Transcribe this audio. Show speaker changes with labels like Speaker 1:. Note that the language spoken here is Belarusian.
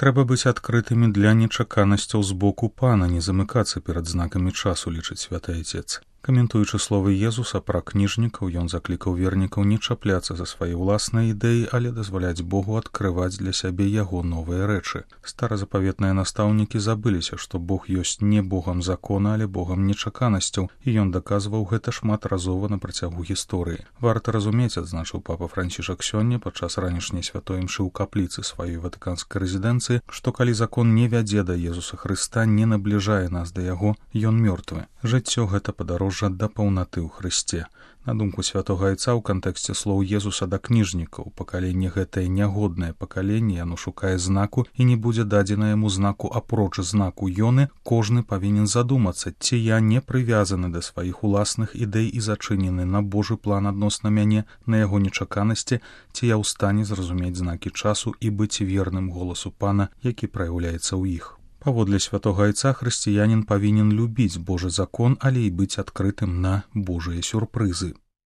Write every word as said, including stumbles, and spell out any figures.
Speaker 1: Трэба быць адкрытымі для нечаканасцяў з боку пана, не замыкацца перад знакамі часу, лічыць святы айцец. Каментуючы словы Езуса пра кніжнікаў, ён заклікаў вернікаў не чапляцца за свае ўласныя ідэі, але дазваляць Богу адкрываць для сябе яго новыя рэчы. Старазапаветныя настаўнікі забыліся, што Бог ёсць не Богам закона, але Богам нечаканасцяў, і ён даказваў гэта шматразова на працягу гісторыі. Варта разумець, адзначыў папа Францішак сёння падчас ранішняй святой імшы ў капліцы сваёй ватыканскай рэзідэнцыі, што калі закон не вядзе да Езуса Хрыста, не набліжае нас да яго, ён мёртвы. Жыццё гэта падарожжа да паўнаты ў Хрысце. На думку святога айца ў кантэксце слоў Езуса да кніжнікаў, пакаленне гэтае нягоднае пакаленне, яно шукае знаку і не будзе дадзена яму знаку апроч знаку Ёны, кожны павінен задумацца, ці я не прывязаны да сваіх уласных ідэй і зачынены на Божы план адносна мяне, на яго нечаканасці, ці я ў стане зразумець знакі часу і быць верным голасу пана, які праяўляецца ў іх. Паводле святога айца хрысціянін павінен любіць Божы закон, але і быць адкрытым на Божыя сюрпрызы.